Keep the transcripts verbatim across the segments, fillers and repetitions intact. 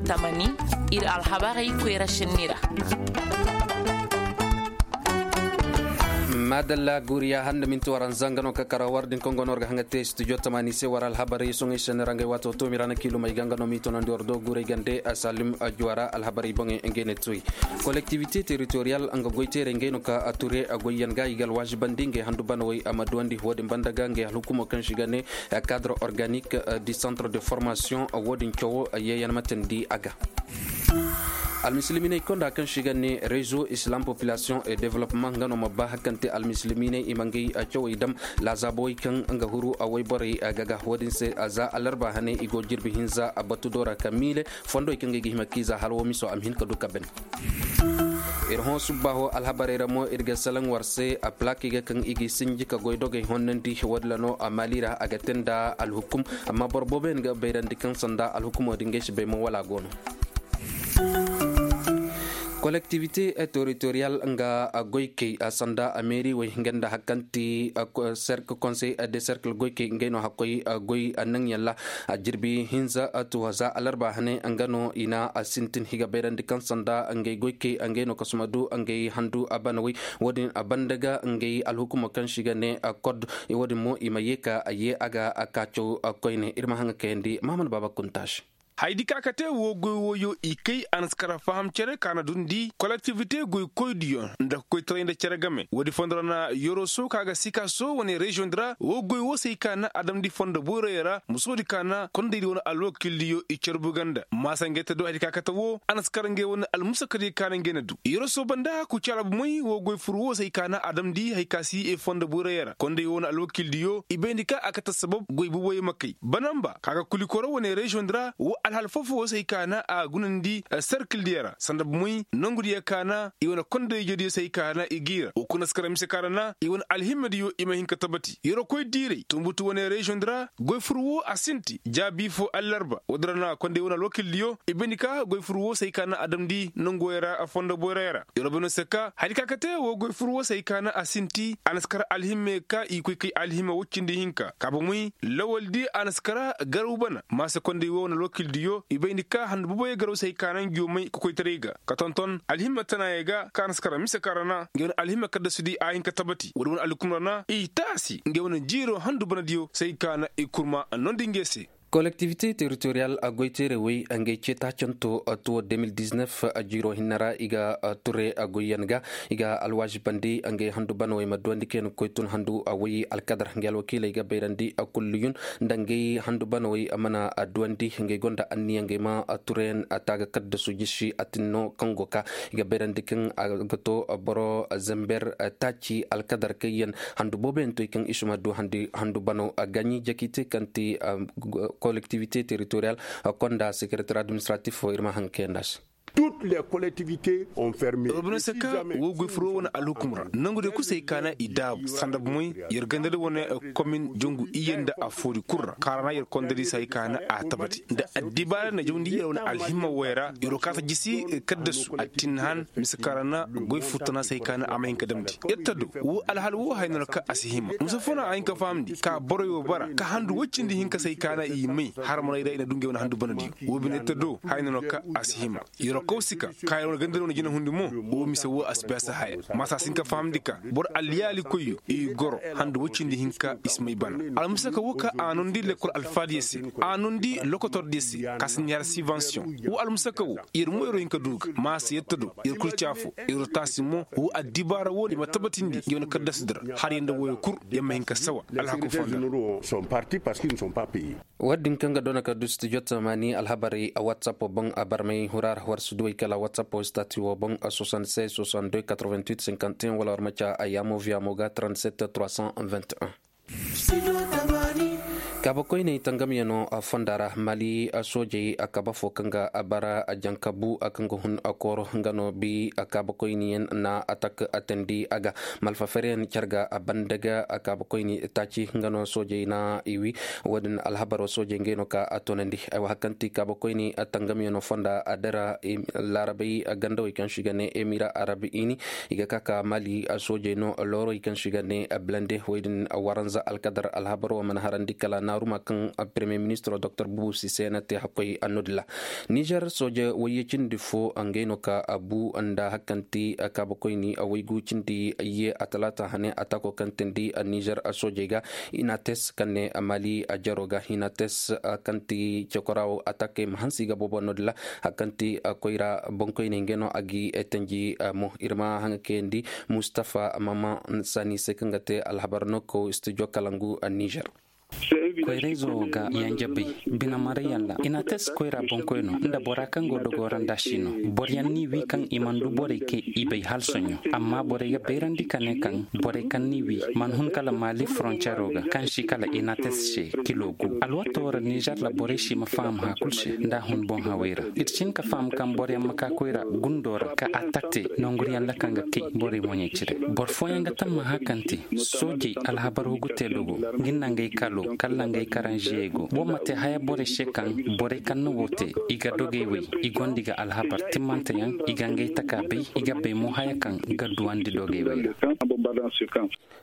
Tamani, ir alhabarey koyra sinni ra. Madalla guriya handa minti waranza nga no ka kara war din kaŋ go no war ga haŋa te studio tamani se war alhabarey soŋey sene ra ngay waato to mi ra na kiilumey ga nga no mi tonandi war do guray gande a salim juwara alhabarey boŋey ngey ne toy. Kolektivite teritoriyal nga goyteerey ngey no ka a ture a goyyan ga i ga alwaazibandi ngey handu banawey a ma duwandi wo-din banda ga ngey alhukumo kaŋ si ga ne cadre organique du centre de formation wo-din cawo yeeyan ma teendi a ga. Almisilimiiney konda kaŋ se i ga ne rezo islam population et development nga no ma ba hakante almisilimiiney i ma ngey cawey dam laazaabowey kaŋ nga huru a woyborey ga ga wo-din se za alarba hane i go jirbi hinza a batu do ra ka miile fondowey kaŋ ga i ga hima kiiza hala wo miso a ma hin ka du ka ben. Ir hõ subbaaho alhabarey ra mo ir ga salaŋ war se a plakey ga kaŋ i ga sinji ka goy dogey honnandi wo-din ra no a maali ra a ga te nda alhukum. Amma boro booboyaŋ ga bayrandi kaŋ sanda alhukumo din ga ay si bay mo wala a go no. Kolektivite teritoriyal nga goykey sanda meeriwey nga nda hari kaŋ ti serk konsey de serkil goykey ngey no hakkoy goy naŋyaŋ ra. Jirbi hinza tuwa za alarba hane nga no i na sintin i ga bayrandi kaŋ sanda ngey goykey ngey no kasuma du ngey handu banawey wo-din banda ga ngey alhukumo kaŋ se i ga ne kod. Wo-din mo i ma ye ka ye a ga kaacaw koyne ir ma haŋa kayandi mahamad baaba kunta se. Hayadi ka ka te woo goy wooyo i kay a na si kara faham cere ka na dundi kolektivite goy koydiyo nda koytaray nda cere game woodi fondo ra na yoroso ka ga sikaso wane reziyoŋ di ra woo goy woo se ay ka na adamdi fondo boyroyo ra musoodi ka na kondaydi wane alwakildiyo i carbu ganda maasa ngey te do hayadi ka ka te woo a na si kara ngey wane almusakadiyo ka na ngey na du yoroso banda kucala bomey woo goy fur woo se ay ka na adamdi hay ka si ay fondo boyroyo ra konday woo wane alwakildiyo i bayndi ka a kate sabab goy boboyo ma kay banamba ka ga kulikoro wane reziyoŋ di ra woo alhal foo-foo woo se ay ka na a gunandi serkildiyo ra sanda bomey nongudiyo ka na i wane kondayjediyo se ay ka na i g'i ra woo kuna si kara mise ka ra na i wane alhimmadiyo i ma hin ka tabati yorokoy diiray tunbutu wane reziyoŋ di ra goy fur woo a sinti jaabi foo allarba woodi ra na konday wane alwakildiyo i bayndi ka goy fur woo se ay ka na a damndi nonguwey ra fondo boyroyo ra yoroboyno se ka hari ka kate woo goy fur woo se ay ka na a sinti a na si kara alhimmey ka i koy kay alhimma woy cindi hinka ka bomey lawaldi a na si kara garaw bana maasa konday woo wane alwakildiyo i bayndi ka handu boboyo garaw se ay ka na ngiyo may ka koytaray ga ka tonton alhimma tanaayey ga ka na si kara mise ka ra na ngey wane alhimma kaddasudi a hin ka tabati woodi wane alhukum ra na i taasi ngey wane jiiro handu banadiyo se ay ka na i kurma nondi ngey se. Kolektivite teritoriyal goyteerey wey ngey ceetaacanto tuwo deux mille dix-neuf jiiroo hinne ra i ga ture goyyaŋ ga i ga alwaazibandi ngey handu banawey ma duwandi kayna koy tun handu wey alkadar ngey alwakiiley ga bayrandi kulliyun nda ngey handu banawey mana duwandi ngey gonda anniya ngey ma tureyaŋ taaga kaddasu jisi atinno kaŋ go ka i ga bayrandi kaŋ a ga to boro zember taaci alkadar kayyaŋ handu booboyaŋ toy kaŋ i si ma du handu banaw gaɲi jakite kaŋ ti kolektivite teritoriyal konda sekereter administratif fo ir ma haŋ kayandi a se. Robinoo se ka woo goy furoo wane alhukum ra nangu de kusay ka na i daabu sanda bomey yer gandadi wane komin jongu iyye nda afoodi kul ra kaara na yer kondadi se hay ka na a tabati nda addibaara na jawndi yer wane alhimma woy ra yeroo kaata jisi kaddasu a tin han mise kaara na goy furtana se hay ka na a ma hin ka damndi yer ta do woo alhal woo haya no ra ka a si hima musa foo na a hin ka fahamndi ka boroy woo bara ka handu woy cindi hinka se hay ka na i may harmanay ra i na du ngey wane handu banadiyo woo bine yer ta do haya no ra ka a si hima yeroo kaw si ka ka yer wane gandadi wane jinahundi mo woo mise woo a si bay a si haya maasa a si hin ka fahamndi ka boro aliyaalikoyyo i goro handu woy cindi hinka i si may bana almusaka woo ka a nondi lekkol alfaadiyo se a nondi lokotordiyo se ka si neera sibansiyoŋ woo almusaka woo yer mo yeroo hin ka du ga maasa yer ta do yer kul caafo yeroo taasi mo woo addibaara woo i ma tabatindi ngey wane kaddasudi ra har yer nda wooyo kul yer ma hin ka sawa alhaku fonda woo din kaŋ ga doona ka du studio tamaani alhabarey a whatsapp boŋ a barmay hura ra war si duwey kala whatsapp stati woo boŋ soixante-seize soixante-deux quatre-vingt-huit cinquante et un wala war ma ca a yaamo viyaamo ga trente-sept trois cent vingt et un. Kaabakoyney tangamyaŋo fonda ra mali soojey kaaba fo kaŋ ga bara jankabu kaŋ ga hun kooro nga no bi kaabakoyniyaŋ na atak atandi a ga malfaferyaŋ care ga banda ga kaabakoyni taaci nga no soojey na i wi woo din alhabaro soojey ngey no ka a toonandi ay wa hari kaŋ ti kaabakoyni tangamyaŋo fonda a dara laarabey gandawey kaŋ se i ga ne emira arabi ini i ga ka ka mali soojey no loorey kaŋ se i ga ne blende wey din waranza alkadar alhabaro mana harandi kala naaruma kaŋ premier ministro doktor bubu sise na te hakkoy annoodilla. Nizer sooje wayye cindi fo ngey no ka bu nda hakkanti kaabakoyni waygu cindi ye a talaata hane atako kaŋ tindi nizer soojey ga inates kaŋ ne mali jaro ga inates kaŋ ti cekora wo atakey ma hansi ga boobo noodilla. Hakkanti koyra boŋkoyney ngey no a gi tanji mo ir ma haŋa kayandi mustafa mama sani se kaŋ ga te alhabar no ko studio kalangu nizer. Koyra izo ga yanja bay bine maray yalla inates koyra boŋkoy no nda bora kaŋ go dogo ra nda si no. Boro yaŋ n'i wi kaŋ i mana du borey kay i bay hala soɲõ. Amma borey ga bayrandi ka ne kaŋ borey kaŋ n'i wi mana hun kala mali frontiero ga kaŋ si kala inates se kilo gu alwato ra nizer ra borey si ma faham hã kulu se nda a hun boŋ hawey ra. Ir si hin ka faham kaŋ boro yaŋ ma ka koyra gundo ra ka atak te nonguriyaŋ ra kaŋ ga kay borey moɲey cire. Boro fooyaŋ ga tamma hã kaŋ te soojey alhabar hugu te dogo nga nangey kalo kala nangey karanziyey go wo ma te haya borey se kaŋ borey kaŋ na wo te i ga dogey wey i gonda i ga alhabar timmanteyaŋ i ga ngey taka bay i ga bay mo haya kaŋ ga duwandi dogey wey ra.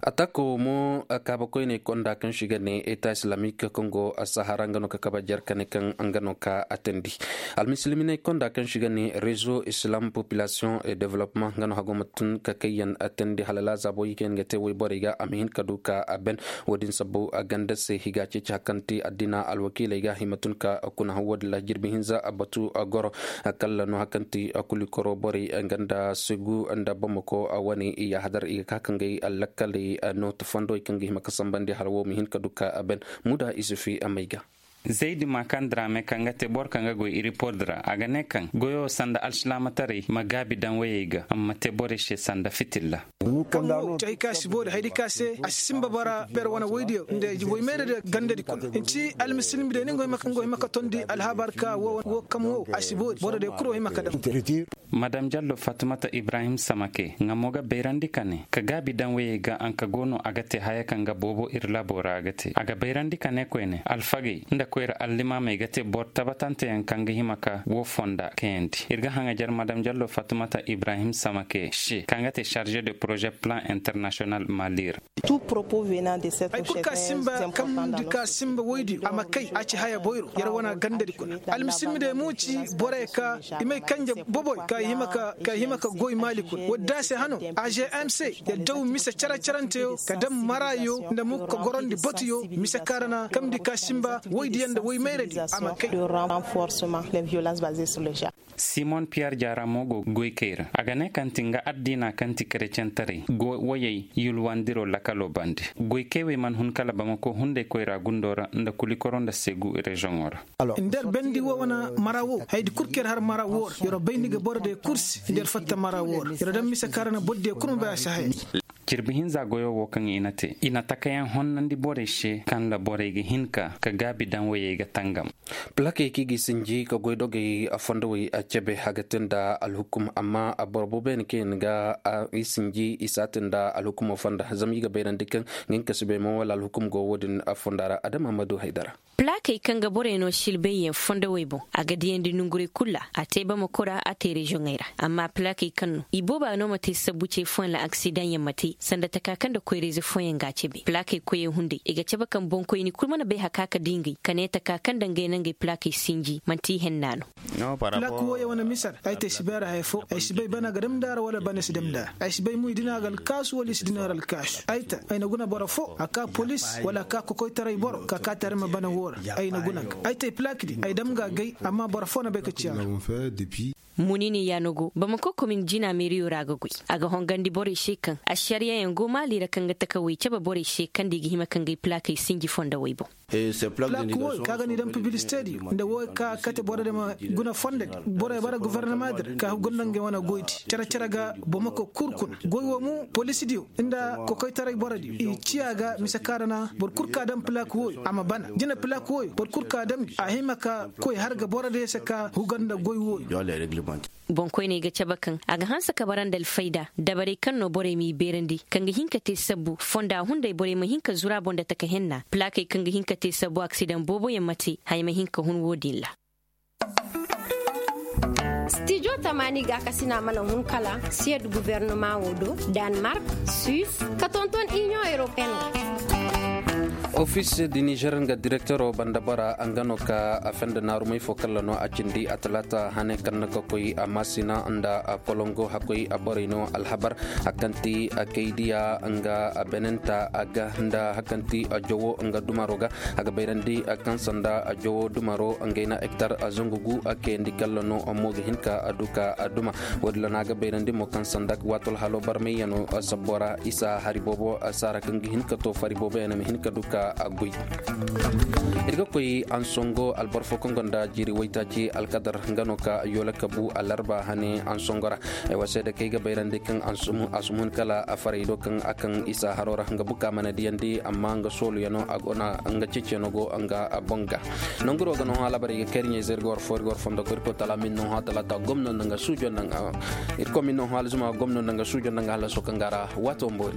Atako mo kaabakoyney konda kaŋ si ga ne eta islamik kaŋ go sahara nga no ka kaba jer kane kaŋ nga no ka atandi. Almisilimney konda kaŋ si ga ne rezo islam population et development nga no hago ma tun ka kayyaŋ atandi hala laazabo i kaŋ ga te woy borey ga a ma hin ka du ka a ben. Wo-din sabbu a ganda se i ga ceeci hakanti addina alwakiiley ga i ma tun ka kuna hawo din la jirbi hinza batu goro kalla no hakanti kulikoro borey ganda segu nda bamako wane i ya hadar i ga ka kaŋ ga ay lakkaley no ta fondo i kaŋ ga hima ka sambandi hala wo ma hin ka du ka a ben. Muda isufi amay ga. Zaydi makandira me kaŋ ga te boro kaŋ ga goy iripod ra a ga ne kaŋ goyo sanda alsilaamataray ma gaabi daŋ wayey ga amma te borey se sanda fitilla. Kaŋ wo ti hay ka si boori haydi ka se a si simba bara per wane woydiyo nda woy mayra da gandadi kuna nci almisilmi de ni ngo hima ka tondi alhabar ka wo kam wo a si boori boro de kuro hima ka daŋ. Madam jallo fatumata ibrahim samake nga mo ga bayrandi ka ne ka gaabi daŋ wayey ga anka go no a ga te haya kaŋ ga boobo ir labo ra a ga te a ga bayrandi ka ne koyne alfagey nda koyra allimaamey ga te boro tabatanteyaŋ kaŋ ga hima ka wo fonda kayandi ir ga haŋajer madam jallo fatumata ibrahim samake se kaŋ ga te charge de projet plan international mali ra. Hay kulu ka simba kaŋ di ka simba woydiyo a ma kay a ci haya boyro yer wana gandadi kuna almisilmi de mo ci borey ka i may kanje boboy ka i hima ka goy maali kuna woodi da se hano. Agmc yer daw mise care caranteyo ka daŋ maraayo nda mo ka gorondi batuyo mise kaŋ ra na kaŋ di ka simba woydiyaŋ nda woy mayradi a ma kay. Simon piyer jaara mo go goykey ra a ga ne kaŋ ti nga addiina kaŋ ti kerecentaray go woyey yulwandiro lakalo bande. Goykey wey mana hun kala bamako hunday koyra gundo ra nda kulikoro nda segu rezoŋo ra. Nda yer bendi wo wane mara wo haydi kul kaŋ yer har mara wo ra yer bayndi ga boro diyo kul se nda yer fatta mara wo ra yer daŋ mise kaŋ ra na boro diyo kul ma bay a si haya. Jirbi hinza goyo wo kaŋ i na te i na takayaŋ honnandi borey se kaŋ ra borey ga hin ka ka gaabi daŋ woyey ga tangam. Pilakey kaŋ i ga i sinji ka goy dogey fondowey a cebe a ga te nda alhukum amma boro boobo yaŋ kaŋ yaŋ ga i sinji i si a te nda alhukumo fonda zama i ga bayrandi kaŋ nga hin ka si bay mo wala alhukum go wo-din fonda ra adama ma du haydara. Pilakey kaŋ ga borey no silbayyaŋ fondowey boŋ a ga diyandi nonguray kul ra a te bamako ra a te reziyoŋey ra amma pilakey kaŋ no i booba no ma te sabbu ce fooyaŋ ra aksidaŋyaŋ ma te sanda taka kaŋ nda koyra-ize fooyaŋ ga a cebe pilakey koyey hunday i ga cabe kaŋ boŋkoyni kul mana bay haka ka di ngey ka ne taka kaŋ nda ngey na ngey pilakey sinji manti i henna no. Pilak wooyey wane mise ra ay te ay si bay a ra haya fo ay si bay bana ga damndi a ra wala bana si damndi a ra ay si bay mo i dina ga alkaasu wala i si dina ga alkaasu ay ta ay na guna boro fo a ka polis wala a ka kokoytaray boro ka kaati a ra ma bana woo ra. Ay na guna ga ay te ay pilak di ay dam ga agay amma boro fo na bay ka ci a ra. Munini yaanogo bamako komin jina meeriyo ra a ga goy a ga hongandi borey se kaŋ ašariyayaŋ go maali ra kaŋ ga takawey cabe borey se kaŋ nda i ga hima ka ngey pilakey sinji fondowey boŋ. Pilak wooyo kaŋ a ga n'i daŋ pibilisite diyo nda wooyo ka kate boro diyo ma guna fondodi borey bara gofornamaadi ra ka guna ngey wane goydi care care ga bamako kul kuna goy woo mo poliisi diyo nda kokoytaray boro diyo i ciya ga mise kaŋ ra na boro kul ka daŋ pilak wooyo a ma bana jina pilak wooyo boro kul ka daŋ a hima ka koy har ga boro diyo se ka huga nda goy wooyo. Boŋkoyney ga cabe kaŋ a ga hanse ka bara nda alfayda dabarey kaŋ no borey m'i beerandi kaŋ ga hin ka te sabbu fonda hunday borey ma hin ka zuru a boŋ nda taka henna pilakey kaŋ ga hin ka te sabbu aksidaŋ booboyaŋ ma te haya ma hin ka hun woo din ra. Stijo tamaani gaakasina mana hun kala siyed gubernama wo do, danmark, suis, ka tonton iniyoŋ europeen ga. Ofis di nizer nga direktero banda bora nga no ka a fenda naarumay fo kalla no a cindi a talaata hane kaŋ na ka koy a maasina nda a kolongo hakkoy a borey no alhabar. Hakkanti a kaydiya nga a benenta a ga nda hakkanti a jowo nga dumaro ga a ga bayrandi a kaŋ sanda a jowo dumaro nga ay na hektar a zangu gu a kayandi kalla no mo ga hin ka a du ka a duma. Woodin ra no a ga bayrandi mo kaŋ sanda waato alhalo barmayyano sabbo ra isa hari boobo saara kaŋ ga hin ka to fari boobo yaŋ ma hin ka du ka a goy. Ir ga koy ansongo alboro fo kaŋ gonda jiiri waytaaci alkadar nga no ka yoola kabu alarba hane ansongo ra. Ay wa seeda kaŋ ay ga bayrandi kaŋ a si mun kala a faray do kaŋ a kaŋ isa haro ra nga buka mana diyandi amma nga sooluyaŋo a go na nga ceeciyaŋo go nga boŋ ga. Nanguro ga no hã labaray ga kay ir ɲayzey ir ga war fo ir ga war fondo ko ir ko tala min no hã talata gomno nda nga suujo nda nga ir ko min no hã alzuma gomno nda nga suujo nda nga halaso kaŋ ga ra waato boori.